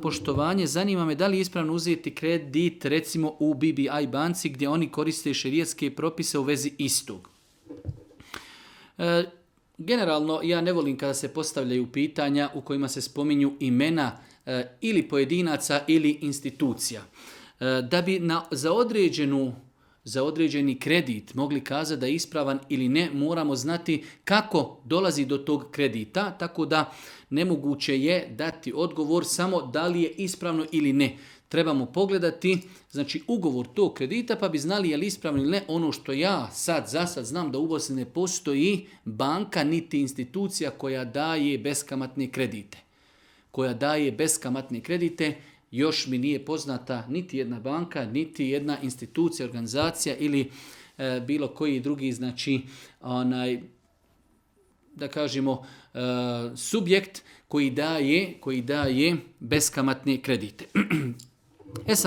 poštovanje, zanima me da li je ispravno uzeti kredit recimo u BBI banci gdje oni koriste šerijatske propise u vezi istog. Generalno ja ne volim kada se postavljaju pitanja u kojima se spominju imena ili pojedinaca ili institucija. Da bi za određeni kredit mogli kazati da je ispravan ili ne, moramo znati kako dolazi do tog kredita, tako da nemoguće je dati odgovor samo da li je ispravno ili ne. Trebamo pogledati ugovor tog kredita pa bi znali je li ispravno ili ne. Ono što ja za sad znam da u Bosni ne postoji banka niti institucija koja daje beskamatne kredite. Još mi nije poznata niti jedna banka, niti jedna institucija, organizacija ili bilo koji drugi, da kažemo, subjekt koji daje beskamatne kredite.